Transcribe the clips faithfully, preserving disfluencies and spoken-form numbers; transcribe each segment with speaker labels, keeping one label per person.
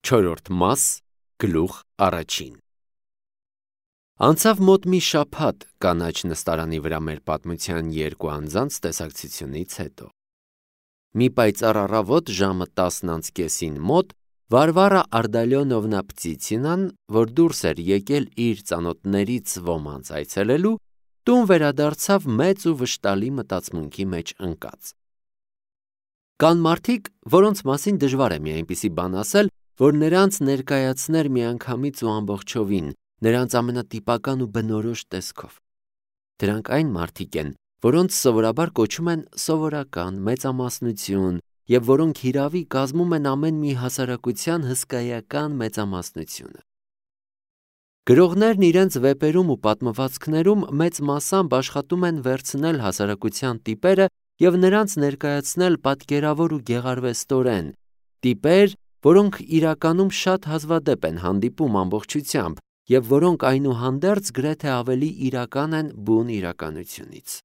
Speaker 1: Չորրորդ մաս, գլուխ առաջին։ Անցավ մոտ մի շաբաթ կանաչ նստարանի վրա մեր պատմության երկու անձանց տեսակցությունից հետո։ Մի պայծառ առավոտ ժամը տասն անց կեսին մոտ Վարվարա Արդալյոնովնա Պտիցինան, որ դուրս էր եկել իր ծանոթներից ոմանց այցելելու, տուն վերադարձավ մեծ ու վշտալի մտածմունքի մեջ ընկած։ Կան մարդիկ, որոնց մասին դժվար է մի այնպիսի բան ասել, որ նրանց ներկայացներ միանգամից ու ամբողջովին, նրանց ամենատիպական ու բնորոշ տեսքով։ Դրանք այն մարդիկ են, որոնց սովորաբար կոչում են սովորական, մեծամասնություն, և որոնք հիրավի կազմում են ամեն մի հասարակության հսկայական մեծամասնությունը։ Գրողներն իրենց վեպերում ու պատմվածքներում մեծ մասամբ աշխատում են վերցնել հասարակության տիպերը և նրանց ներկայացնել պատկերավոր ու գեղարվեստորեն, տիպեր, որոնք իրականում շատ հազվադեպ են հանդիպում ամբողջությամբ և որոնք այնուհանդերձ գրեթե ավելի իրական են բուն իրականությունից։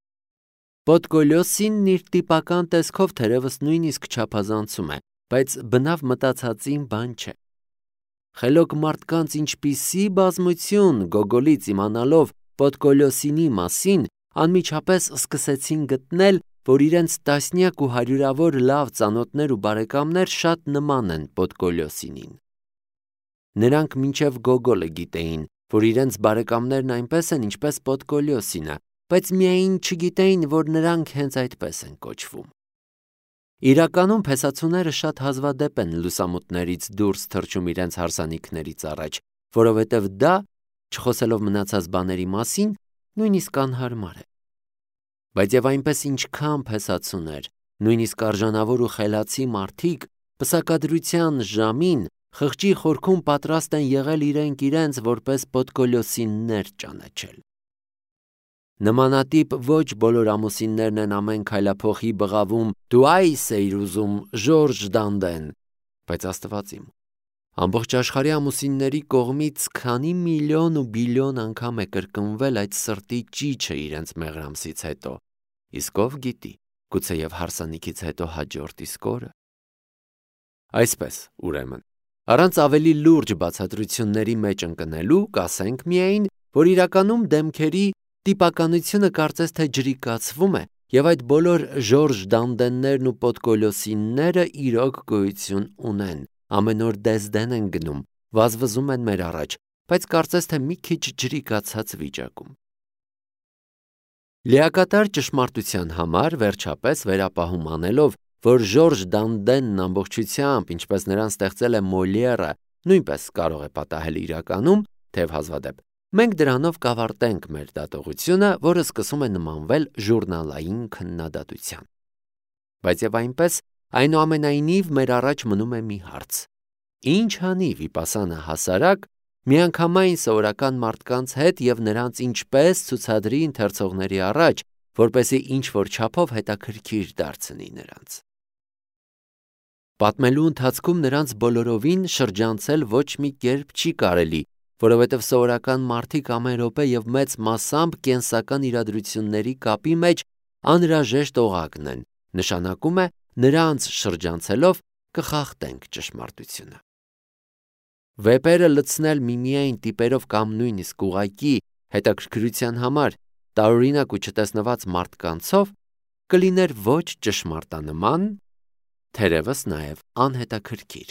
Speaker 1: Պոդկոլյոսինն իր տիպական տեսքով թերևս նույնիսկ չափազանցում է, բայց բնավ մտածածին բան չէ։ Խելոք մարդկանց ինչպիսի բազմություն Գոգոլից իմանալով Պոդկոլյոսինի մասին, անմիջապես սկսեցին գտնել, որ իրենց տասնյակ ու հարյուրավոր լավ ծանոթներ ու բարեկամներ շատ նման են Պոդկոլյոսինին։ Նրանք մինչև Գոգոլը գիտեին, որ իրենց բարեկամներն այնպես են, ինչպես Պոդկոլյոսինը, բայց միայն չգիտեին, որ նրանք հենց այդպես են կոչվում։ Իրականում փեսացուները շատ հազվադեպ են լուսամուտներից դուրս թռչում իրենց հարսանիքներից առաջ, որովհետև դա, չխոսելով մնացած բաների մասին, նույնիսկ անհարմար է։ Բայց և այնպես ինչքան փեսացուներ, նույնիսկ արժանավոր ու խելացի մարդիկ, պսակադրության ժամին խղճի խորքում պատրաստ են եղել իրենք իրենց որպես Պոդկոլյոսիններ ճանաչել։ Նմանատիպ ոչ բոլոր ամուսիններն են ամեն քայլափոխի բղավում «Դու այս էիր ուզում, Ժորժ Դանդեն», բայց Աստված իմ, ամբողջ աշխարհի ամուսինների կողմից քանի միլիոն ու բիլիոն անգամ է կրկնվել այդ սրտի ճիչը իրենց մեղրամսից հետո, իսկ ով գիտի, գուցեև հարսանիքից հետո հաջորդ իսկ օրը։ Այսպես, ուրեմն, առանց ավելի լուրջ բացատրությունների մեջ ընկնելու, կասենք միայն, որ իրականում դեմքերի տիպականությունը կարծես թե ջրիկացվում է, և այդ բոլոր Ժորժ Դանդեններն ու Պոդկոլյոսինները իրոք գոյություն ունեն, ամեն օր դեսդեն են գնում, վազվզում են մեր առաջ, բայց կարծես թե մի քիչ ջրիկացած վիճակում։ Լիակատար ճշմարտության համար, վերջապես վերապահում անելով, որ Ժորժ Դանդենն ամբողջությամբ, ինչպես նրան ստեղծել է Մոլիերը, նույնպես կարող է պատահել իրականում, թեև հազվադեպ, մենք դրանով կավարտենք մեր դատողությունը, որը սկսում է նմանվել ժուրնալային քննադատության։ Բայց և այնպես, այնուամենայնիվ մեր առաջ մնում է մի հարց. ինչ անի վիպասանա հասարակ միանգամայն սովորական մարդկանց հետ և նրանց ինչպես ցուցադրի ընթերցողների առաջ, որպեսզի ինչ-որ չափով հետաքրքիր դարձնի նրանց։ Պատմելու ընթացքում նրանց բոլորովին շրջանցել ոչ մի կերպ չի կարելի, որովհետև սովորական մարդիկ ամեն րոպե և մեծ մասամբ կենսական իրադրությունների կապի մեջ անհրաժեշտ օղակն են, նշանակում է նրանց շրջանցելով կխախտենք ճշմարտությունը։ Վեպերը լցնել միմիայն տիպերով կամ նույնիսկ ուղղակի հետաքրքրության համար տարօրինակ ու չտեսնված մարդկանցով կլիներ ոչ ճշմարտանման, թերևս նաև անհետաքրքիր։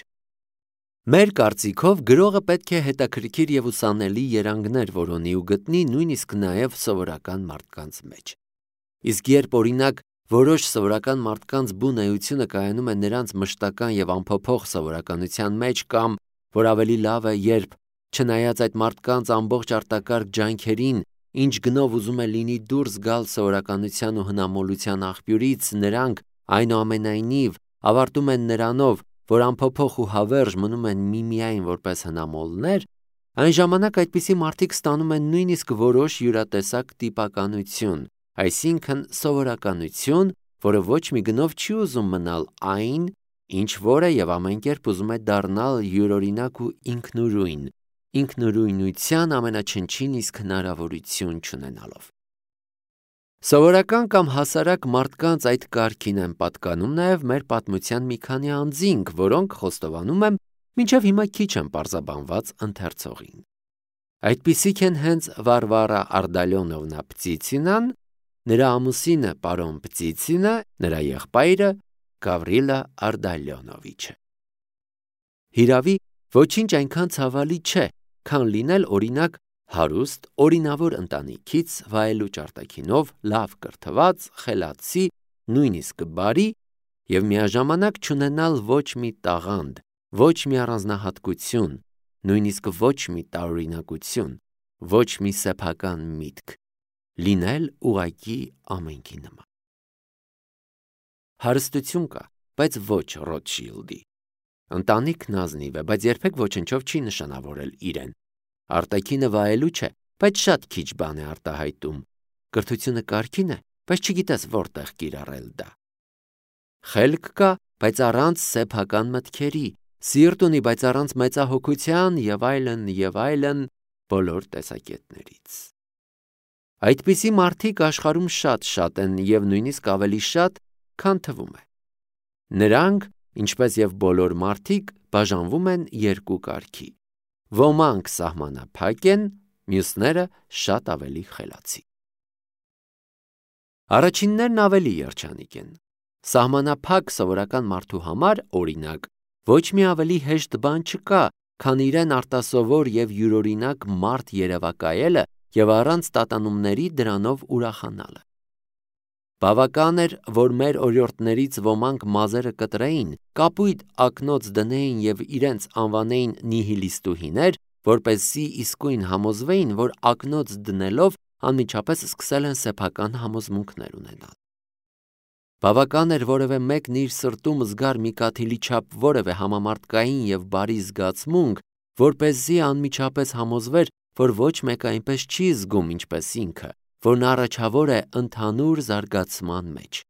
Speaker 1: Մեր կարծիքով գրողը պետք է հետաքրքիր և ուսանելի երանգներ որոնի ու գտնի նույնիսկ նաև սովորական մարդկանց մեջ։ Իսկ երբ օրինակ որոշ սովորական մարդկանց բուն էությունը կայանում է նրանց մշտական և անփոփոխ սովորականության մեջ կամ, որ ավելի լավ է, երբ, չնայած այդ մարդկանց ամբողջ արտակարգ ջանքերին, ինչ գնով ուզում է լինի դուրս գալ սովորականության ու հնամոլության աղբյուրից, նրանք, այնուամենայնիվ, ավարտում են նրանով, որ անփոփոխ ու հավերժ մնում են միմիայն որպես հնամոլներ, այն ժամանակ այդպիսի մարդիկ ստանում են նույնիսկ որոշ յուրատեսակ տիպականություն, այսինքն սովորականություն, որը ոչ մի գնով չի ուզում մնալ այն, ինչ որ է և ամեն կերպ ուզում է դառնալ յուրօրինակ ու ինքնուրույն, ինքնուրույնության ամենաչնչին իսկ հնարավորություն չունենալով։ Սովորական կամ հասարակ մարդկանց այդ կարգին են պատկանում նաև մեր պատմության մի քանի անձինք, որոնք խոստովանում են, Մինչև հիմա քիչ են պարզաբանված ընթերցողին։ Այդպիսիք են հենց Վարվարա Արդալյոնովնա Պտիցինան, նրա ամուսինը պարոն Պտիցինը, նրա եղբայրը Գավրիլա Արդալյոնովիչը։ Հիրավի, ոչինչ այնքան ցավալի չէ, քան լինել օրինակ հարուստ, օրինավոր ընտանիքից վայելուչ արտաքինով, լավ կրթված, խելացի, նույնիսկ բարի և միաժամանակ չունենալ ոչ մի տաղանդ, ոչ մի առանձնահատկություն, նույնիսկ ոչ մի տարօրինակություն, ոչ մի սեփական միտք, լինել ուղղակի ամենքի նման։ Հարստություն կա, բայց ոչ Ռոթշիլդի։ Ընտանիքն ազնիվ է, բայց երբեք ոչնչով չի նշանավորել իրեն։ Արտաքինը վայելուչ է, բայց շատ քիչ բան է արտահայտում։ Կրթությունը կարգին է, բայց չգիտես որտեղ կիրառել դա։ Խելք կա, բայց առանց սեփական մտքերի, սիրտ ունի, բայց առանց մեծահոգության և այլն, և այլն բոլոր տեսակետներից։ Այդպիսի մարդիկ աշխարհում շատ-շատ են և նույնիսկ ավելի շատ, քան թվում է։ Նրանք, ինչպես և բոլոր մարդիկ, բաժանվում են երկու կարգի։ Ոմանք սահմանափակ են, մյուսները շատ ավելի խելացի։ Առաջիններն ավելի երջանիկ են։ Սահմանափակ սովորական մարդու համար, օրինակ, ոչ մի ավելի հեշտ բան չկա, քան իրեն արտասովոր և յուրօրինակ մարդ երևակայելը և առանց տատանումների դրանով ուրախանալը։ Բավական էր, որ մեր օրիորդներից ոմանք մազերը կտրեին, կապույտ ակնոց դնեին և իրենց անվանեին նիհիլիստուհիներ, որպեսզի իսկույն համոզվեին, որ ակնոց դնելով անմիջապես սկսել են սեփական համոզմունքներ ունենալ։ Բավական էր որևէ մեկն իր սրտում զգար մի կաթիլի չափ որևէ համամարտկային և բարի զգացմունք, որպեսզի անմիջապես համոզվեր, որ ոչ մեկը այնպես չի զգում, ինչպես ինքը, որ նա առաջավոր է ընդհանուր զարգացման մեջ։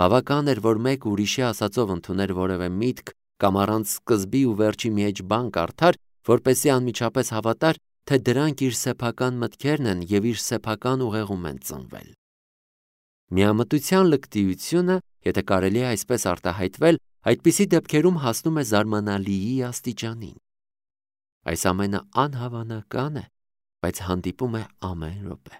Speaker 1: Բավական էր, որ մեկ ուրիշի ասածով ընդուներ որևէ միտք կամ առանց սկզբի ու վերջի մի էջ բան կարդար, որպեսզի անմիջապես հավատար, թե դրանք իր սեփական մտքերն են և իր սեփական ուղեղում են ծնվել։ Միամտության լկտիությունը, եթե կարելի է այսպես արտահայտվել, այդպիսի դեպքերում հասնում է զարմանալիի աստիճանին։ Այս ամենը անհավանական է, բայց հանդիպում է ամեն րոպե։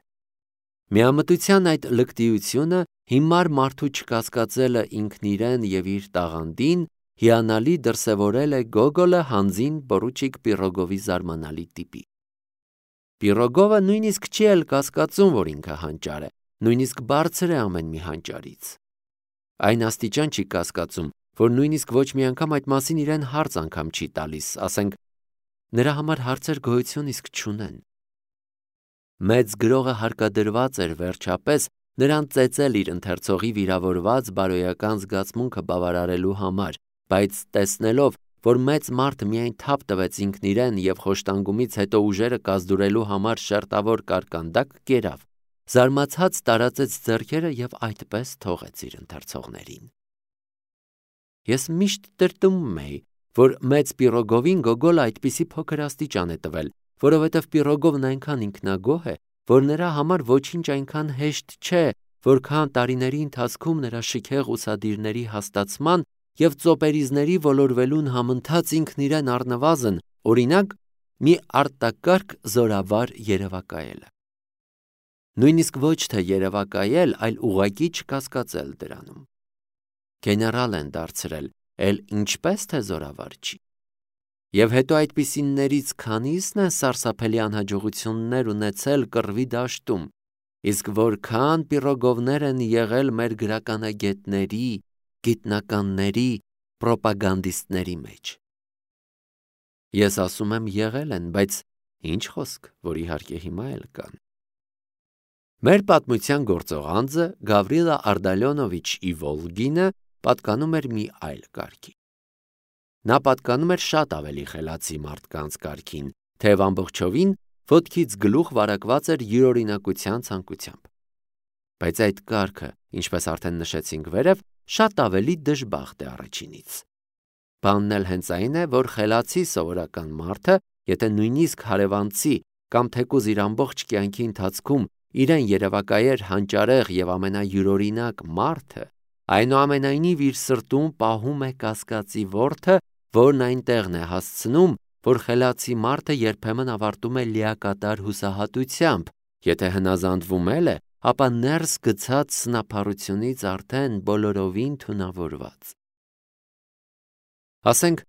Speaker 1: Միամտության այդ լկտիությունը, հիմար մարդու չկասկածելը ինքն իրեն և իր տաղանդին, հիանալի դրսևորել է Գոգոլը հանձին պորուչիկ Պիրոգովի զարմանալի տիպի։ Պիրոգովը նույնիսկ չի էլ կասկածում, որ ինքը հանճար է, նույնիսկ բարձր է ամեն մի հանճարից։ Այն աստիճան չի կասկածում, որ նույնիսկ ոչ մի անգամ այդ մասին իրեն հարց անգամ չի տալիս, ասենք, նրա համար հարցեր գոյություն իսկ չունեն։ Մեծ գրողը հարկադրված էր վերջապես նրան ծեծել իր ընթերցողի վիրավորված բարոյական զգացմունքը բավարարելու համար, բայց տեսնելով, որ մեծ մարդը միայն թափ տվեց ինքն իրեն և խոշտանգումից հետո ուժերը կազդուրելու համար շերտավոր կարկանդակ կերավ, զարմացած տարածեց ձեռքերը և այդպես թողեց իր ընթերցողներին։ Ես միշտ տրտմում էի, որ մեծ Պիրոգովին Գոգոլը այդպիսի փոքր աստիճան է տվել, որովհետև Պիրոգովն այնքան ինքնագոհ է, որ նրա համար ոչինչ այնքան հեշտ չէ, որքան տարիների ընթացքում նրա շքեղ ուսադիրների հաստացման և ծոպերիզների ոլորվելուն համընթաց ինքն իրեն առնվազն, օրինակ, մի արտակարգ զորավար երևակայելը։ Նույնիսկ ոչ թե երևակայել, այլ ուղղակի չկասկածել դրանում։ Գեներալ են դարձրել, էլ ինչպես թե զորավար չի։ Եվ հետո այդպիսիներից քանիսն են սարսափելի անհաջողություններ ունեցել կռվի դաշտում, իսկ որքան Պիրոգովներ են եղել մեր գրականագետների, գիտնականների, պրոպագանդիստների մեջ։ Ես ասում եմ եղել են, բայց ինչ խոսք, որ իհարկե հիմա էլ կան։ Մեր պատմության գործող անձը Գավրիլա Արդալյոնովիչ Իվոլգինը պատկանում էր մի այլ կարգի։ Նա պատկանում էր շատ ավելի խելացի մարդկանց կարգին, թեև ամբողջովին ոտքից գլուխ վարակված էր յուրօրինակության ցանկությամբ։ Բայց այդ կարգը, ինչպես արդեն նշեցինք վերև, շատ ավելի դժբախտ է առաջինից։ Բանն էլ հենց այն է, որ խելացի սովորական մարդը, եթե նույնիսկ հարևանցի կամ թեկուզ իր ամբողջ կյանքի ընթացքում իրեն երևակայեր հանճարեղ և ամենայուրօրինակ մարդը, այնուամենայնիվ իր սրտում պահում է կասկածի որդը, որն այն տեղն է հասցնում, որ խելացի մարդը երբեմն ավարտում է լիակատար հուսահատությամբ, եթե հնազանդվում էլ է, ապա ներս գցած սնափառությունից արդեն բոլորովին թունավորված։ Ասենք,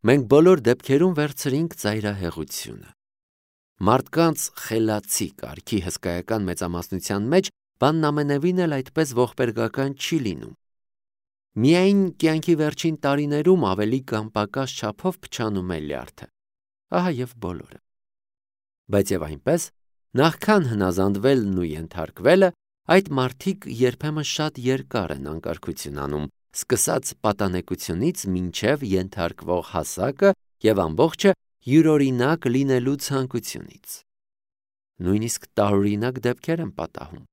Speaker 1: մենք բոլոր դեպքերում վերցրինք ծայրահեղությունը։ Մարդկանց խելացի կարգի հսկայական մեծամասնության մեջ բանն ամենևին էլ այդպես ողբերգական չի լինում։ Միայն կյանքի վերջին տարիներում ավելի կամ պակաս չափով փչանում է լյարդը։ Ահա եւ բոլորը։ Բայց եւ այնպես, նախքան հնազանդվելն ու ենթարկվելը, այդ մարդիկ երբեմն շատ երկար են անկարգություն անում, սկսած պատանեկությունից մինչև ենթարկվող հասակը եւ ամբողջը յուրօրինակ լինելու ցանկությունից։ Նույնիսկ տարօրինակ դեպքեր են պատահում։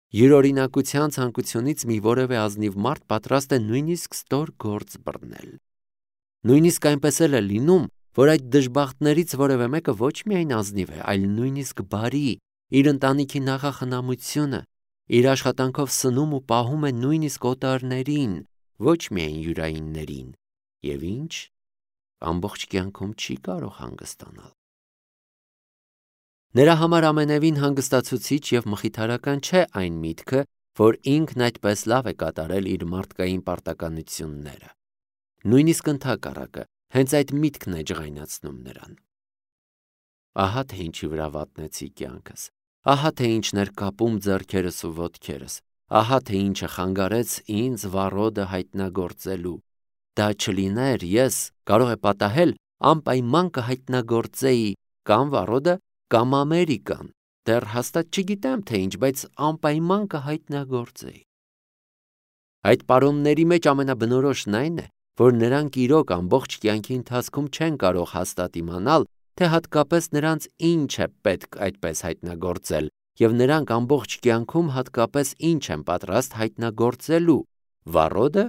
Speaker 1: Յուրօրինակության ցանկությունից մի որևէ ազնիվ մարդ պատրաստ է նույնիսկ ստոր գործ բռնել։ Նույնիսկ այնպես էլ է լինում, որ այդ դժբախտներից որևէ մեկը ոչ միայն ազնիվ է, այլ նույնիսկ բարի, իր ընտանիքի նախախնամությունը, իր աշխատանքով սնում ու պահում է նույնիսկ օտարներին, ոչ միայն յուրայիններին, եւ ինչ, ամբողջ կյանքում չի կարող հանգստանալ։ Նրա համար ամենևին հանգստացուցիչ եւ մխիթարական չէ այն միտքը, որ ինքն այդպես լավ է կատարել իր մարդկային պարտականությունները։ Նույնիսկ ընդհակառակը, հենց այդ միտքն է ջղայնացնում նրան։ Ահա թե ինչի վրա վատնեցի կյանքս, ահա թե ինչն էր կապում ձեռքերս ու ոտքերս, ահա թե ինչը խանգարեց ինձ վառոդը հայտնագործելու։ Դա չլիներ, ես, կարող է պատահել, անպայման կհայտնագործեի կամ վառոդը, կամ Ամերիկան, դեռ հաստատ չգիտեմ թե ինչ, բայց անպայման կհայտնագործեի։ Այդ պարոնների մեջ ամենաբնորոշն այն է, որ նրանք իրոք ամբողջ կյանքի ընթացքում չեն կարող հաստատ իմանալ, թե հատկապես նրանց ինչ է պետք այդպես հայտնագործել, եւ նրանք ամբողջ կյանքում հատկապես ինչ են պատրաստ հայտնագործելու՝ վառոդը,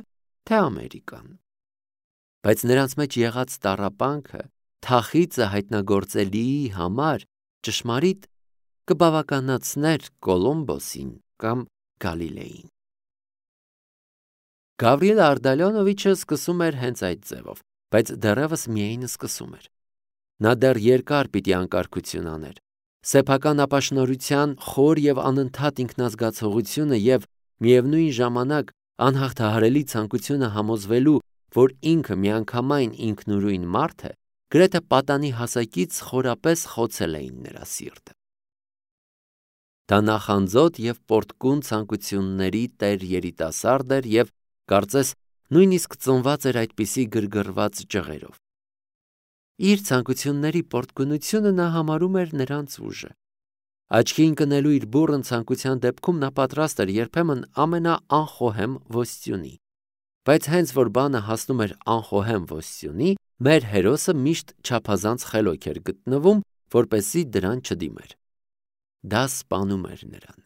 Speaker 1: թե Ամերիկան։ Բայց նրանց մեջ եղած տառապանքը, թախիծը հայտնագործելիի համար ճշմարիտ կբավականացներ Կոլումբոսին կամ Գալիլեին։ Գավրիել Արդալյոնովիչը սկսում էր հենց այդ ձևով, բայց դեռևս միայն սկսում էր։ Նա դեռ երկար պիտի անկարգություն աներ։ Սեփական ապաշնորհության խոր եւ անընդհատ ինքնազգացողությունը եւ միևնույն ժամանակ անհաղթահարելի ցանկությունը համոզվելու, որ ինքը միանգամայն ինքնուրույն մարդ է, գրեթե պատանի հասակից խորապես խոցել էին նրա սիրտը։ Դա նախանձոտ եւ պորտկուն ցանկությունների տեր երիտասարդ էր եւ կարծես նույնիսկ ծնված էր այդպիսի գրգռված ջղերով։ Իր ցանկությունների պորտկունությունը նա համարում էր նրանց ուժը։ Աչքի ընկնելու իր բուռն ցանկության դեպքում նա պատրաստ էր երբեմն ամենաանխոհեմ ոստյունի։ Բայց հենց որ բանը հասնում էր անխոհեմ ոստյունի, մեր հերոսը միշտ չափազանց խելոք էր գտնվում, որպեսզի դրան չդիմեր։ Դա սպանում էր նրան։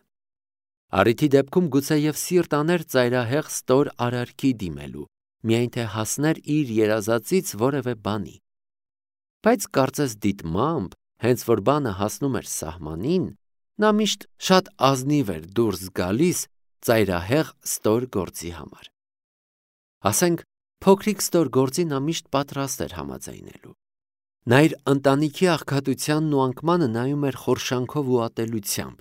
Speaker 1: Առիթի դեպքում գուցեև սիրտ աներ ծայրահեղ ստոր արարքի դիմելու, միայն թե հասներ իր երազածից որևէ բանի։ Բայց կարծես դիտմամբ, հենց որ բանը հասնում էր սահմանին, նա միշտ շատ ազնիվ էր դուրս գալիս ծայրահեղ ստոր գործի համար։ Ասենք, փոքրիկ ստոր գործի նա միշտ պատրաստ էր համաձայնելու։ Նա իր ընտանիքի աղքատությանն ու անկմանը նայում էր խորշանքով ու ատելությամբ։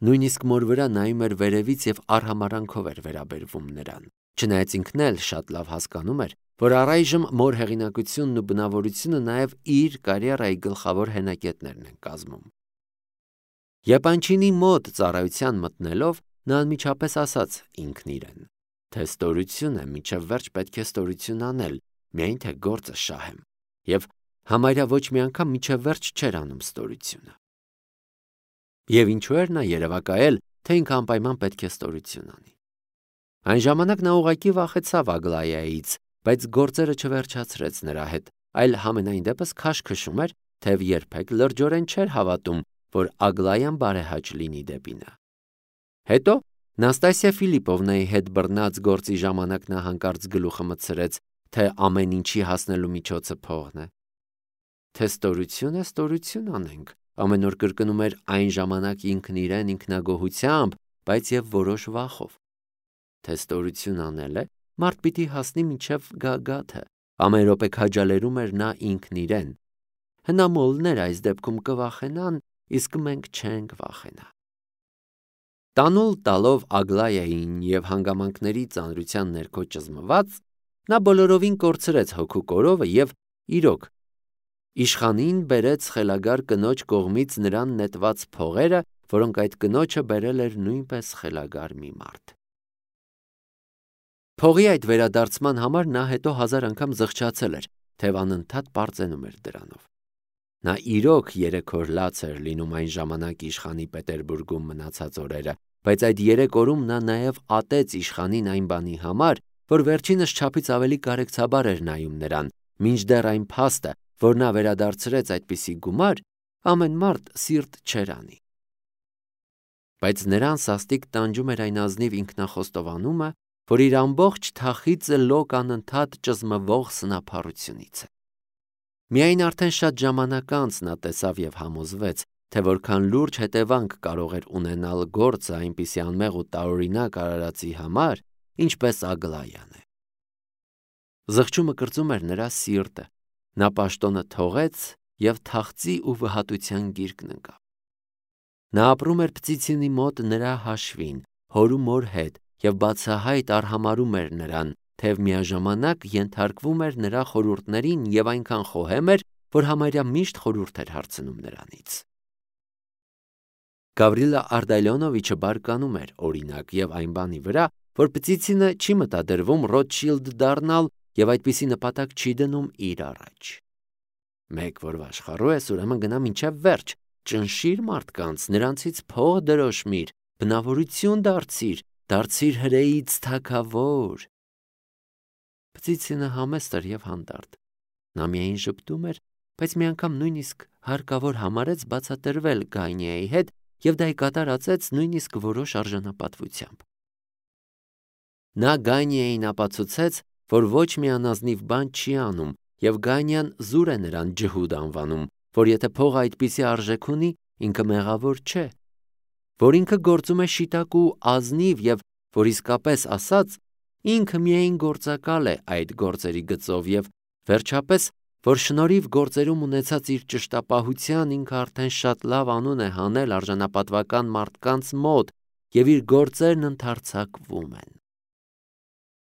Speaker 1: Նույնիսկ մոր վրա նայում էր վերևից եւ արհամարանքով էր վերաբերվում նրան, չնայած ինքն էլ շատ լավ հասկանում էր, որ առայժմ մոր հեղինակությունն ու բնավորությունը նաեւ իր կարիերայի գլխավոր հենակետներն են կազմում։ Եպանչինի մոտ ծառայության մտնելով նա անմիջապես ասաց ինքն իրեն, թե ստորություն է, մինչև վերջ պետք է ստորություն անել, միայն թե գործը շահեմ, եւ համարյա ոչ մի անգամ մինչև վերջ չէր անում ստորությունը։ Եվ ինչու էր նա երևակայել, թե ինքը անպայման պետք է ստորություն անի։ Այն ժամանակ նա ուղղակի վախեցավ Ագլայայից, բայց գործերը չվերջացրեց նրա հետ, այլ համենայն դեպս քաշքշում էր, թեև երբեք լրջորեն չէր հավատում, որ Ագլայան բարեհաճ լինի դեպի նա։ Հետո Նաստասիա Ֆիլիպովնայի հետ բռնած գործի ժամանակ նա հանկարծ գլուխը մտցրեց, թե ամեն ինչի հասնելու միջոցը փողն է։ Թե ստորություն է, ստորություն անենք, ամեն օր կրկնում էր այն ժամանակ ինքն իրեն ինքնագոհությամբ, բայց եւ որոշ վախով։ Թե ստորություն անել է, մարդ պիտի հասնի մինչև գագաթը, Ամեն րոպե քաջալերում էր նա ինքն իրեն։ Հնամոլներ այս դեպքում կվախենան, իսկ մենք չենք վախենա։ Տանուլ տալով Ագլայային և հանգամանքների ծանրության ներքո ճզմված, նա բոլորովին կորցրեց հոգու կորովը և, իրոք, իշխանին բերեց խելագար կնոջ կողմից նրան նետված փողերը, որոնք այդ կնոջը բերել էր նույնպես խելագար մի մարդ։ Փողի այդ վերադարձման համար նա հետո հազար անգամ զղջացել էր, թեև անընդհատ պարծենում էր դրանով։ Նա իրոք երեք օր լաց էր լինում այն ժամանակ իշխանի Պետերբուրգում մնացած օրերը, բայց այդ երեք օրում նա նաև ատեց իշխանին այն բանի համար, որ վերջինս չափից ավելի կարեկցաբար էր նայում նրան, մինչդեռ այն փաստը, որ նա վերադարձրեց այդպիսի գումար, ամեն մարդ սիրտ չէր անի։ Բայց նրան սաստիկ տանջում էր այն ազնիվ ինքնախոստովանումը, որ իր ամբողջ թախիծը լոկ անընդհատ ճզմվող սնափառությունից է։ Միայն արդեն շատ ժամանակ անց նա տեսավ և համոզվեց, թե որքան լուրջ հետևանք կարող էր ունենալ գործը այնպիսի անմեղ ու տարօրինակ արարածի համար, ինչպես Ագլայան է։ Զղջումը կրծում էր նրա սիրտը, նա պաշտոնը թողեց և թախծի ու վհատության գիրկն ընկավ։ Նա ապրում էր Պծիցինի մոտ նրա հաշվին, հոր ու մոր հետ և բացահայտ արհամարհում էր նրան, թեև միաժամանակ ենթարկվում էր նրա խորհուրդներին և այնքան խոհեմ էր, որ համարյա միշտ խորհուրդ էր հարցնում նրանից։ Գավրիլա Արտալյոնովիչը բարկանում էր, օրինակ, և այն բանի վրա, որ Պծիցինը չի մտադրվում Ռոթշիլդ դառնալ և այդպիսի նպատակ չի դնում իր առաջ։ Մեկ որ վաշխառու ես, ուրեմն գնա մինչև վերջ, ճնշիր մարդկանց, նրանցից փող դրոշմիր, բնավորություն դարձիր, դարձիր հրեից թագավոր։ Պծիցինը համեստ էր և հանդարտ։ Նա միայն ժպտում էր, բայց մի անգամ նույնիսկ հարկավոր համարեց բացատրվել Գայնիայի հետ և դա ի կատարածեց նույնիսկ որոշ արժանապատվությամբ։ Նա Գայնիային ապացուցեց, որ ոչ մի անազնիվ բան չի անում, և Գանյան զուր է նրան ջհուդ անվանում, որ եթե փողը այդպիսի արժեք ունի, ինքը մեղավոր չէ, որ ինքը գործում է շիտակ ու ազնիվ և, որ իսկապես ասած, ինքը միայն գործակալ է այդ գործերի գծով և, վերջապես, որ շնորհիվ գործերում ունեցած իր ճշտապահության ինքը արդեն շատ լավ անուն է հանել արժանապատվական մարդկանց մոտ և իր գործերն ընդարձակվում են։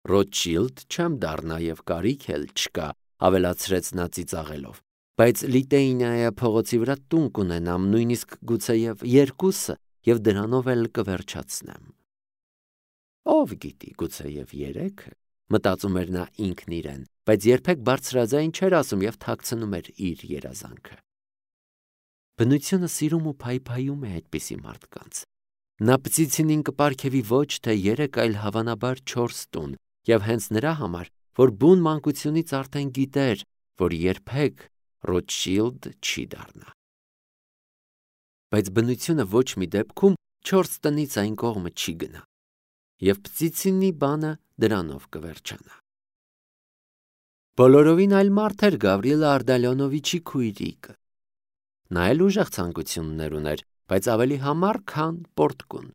Speaker 1: Ռոթշիլդ չեմ դառնա և կարիք էլ չկա, ավելացրեց նա ծիծաղելով, բայց Լիտեյնիայի փողոցի վրա տուն կունենամ, նույնիսկ գուցեև երկուսը, և դրանով էլ կվերջացնեմ։ Ով գիտի, գուցեև երեքը, մտածում էր նա ինքն իրեն, բայց երբեք բարձրաձայն չէր ասում և թաքցնում էր իր երազանքը։ Բնությունը սիրում ու փայփայում է այդպիսի մարդկանց։ Նա Պծիցինին կպարգևի ոչ թե երեք, այլ հավանաբար չորս տուն, և հենց նրա համար, որ բուն մանկությունից արդեն գիտեր, որ երբեք Ռոթշիլդ չի դառնա։ Բայց բնությունը ոչ մի դեպքում չորս տնից այն կողմը չի գնա, և Պծիցինի բանը դրանով կվերջանա։ Բոլորովին այլ մարդ էր Գավրիլա Արտալյոնովիչի քույրիկը։ Նա էլ ուժեղ ցանկություններ ուներ, բայց ավելի համառ, քան պորտկուն։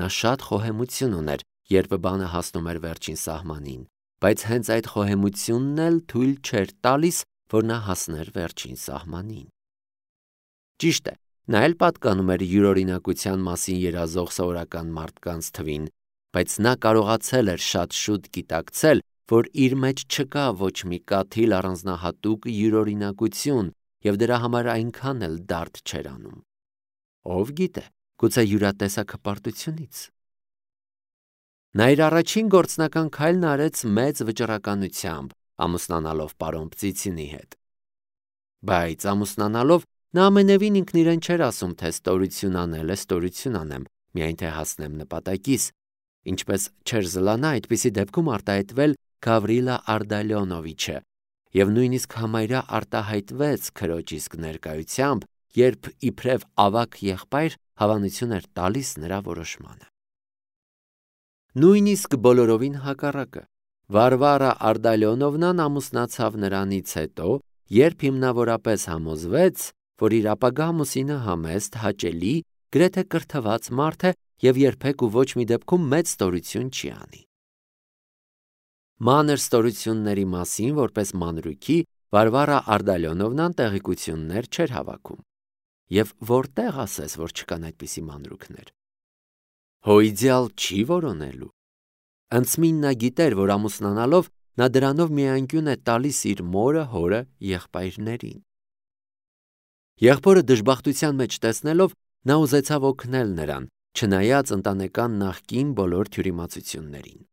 Speaker 1: Նա շատ խոհեմություն ուներ, երբ բանը հասնում էր վերջին սահմանին, բայց հենց այդ խոհեմությունն էլ թույլ չէր տալիս, որ նա հասներ վերջին սահմանին։ Ճիշտ է, նա էլ պատկանում էր յուրօրինակության մասին երազող սովորական մարդկանց թվին, բայց նա կարողացել էր շատ շուտ գիտակցել, որ իր մեջ չկա ոչ մի կաթիլ առանձնահատուկ յուրօրինակություն և դրա համար այնքան էլ դարդ չէր անում։ Ով գիտե, գուցե յուրատեսակ հպարտությունից։ Նա իր առաջին գործնական քայլն արեց մեծ վճռականությամբ, ամուսնանալով պարոն Պծիցինի հետ։ Բայց ամուսնանալով նա ամենևին ինքն իրեն չէր ասում, թե ստորություն անել է, ստորություն անեմ, միայն թե հասնեմ նպատակիս, ինչպես չէր զլանա այդպիսի դեպքում արտահայտվել Գավրիլա Արտալյոնովիչը, և նույնիսկ համարյա արտահայտվեց քրոջ իսկ ներկայությամբ, երբ իբրև ավագ եղբայր հավանություն էր տալիս նրա որոշմանը։ Նույնիսկ բոլորովին հակառակը, Վարվարա Արտալյոնովնան ամուսնացավ նրանից հետո, երբ հիմնավորապես համոզվեց, որ իր ապագա ամուսինը համեստ, հաճելի, գրեթե կրթված մարդ է և երբեք ու ոչ մի դեպքում մեծ ստորություն չի անի։ Մանր ստորությունների մասին որպես մանրուքի Վարվարա Ардալյոնովնան տեղեկություններ չէր հավաքում։ Եվ որտեղ ասես, որ չկան այդպիսի մանրուքներ։ Հո իդեալ չի որոնելու։ Ընծմին նա գիտեր, որ ամուսնանալով նա դրանով միայնքյուն է տալիս իր մորը, հորը, եղբայրներին։ Եղբորը դժբախտության մեջ տեսնելով նա ուզեցավ օգնել նրան, չնայած ընտանեկան նախկին բոլոր թյուրիմացություններին։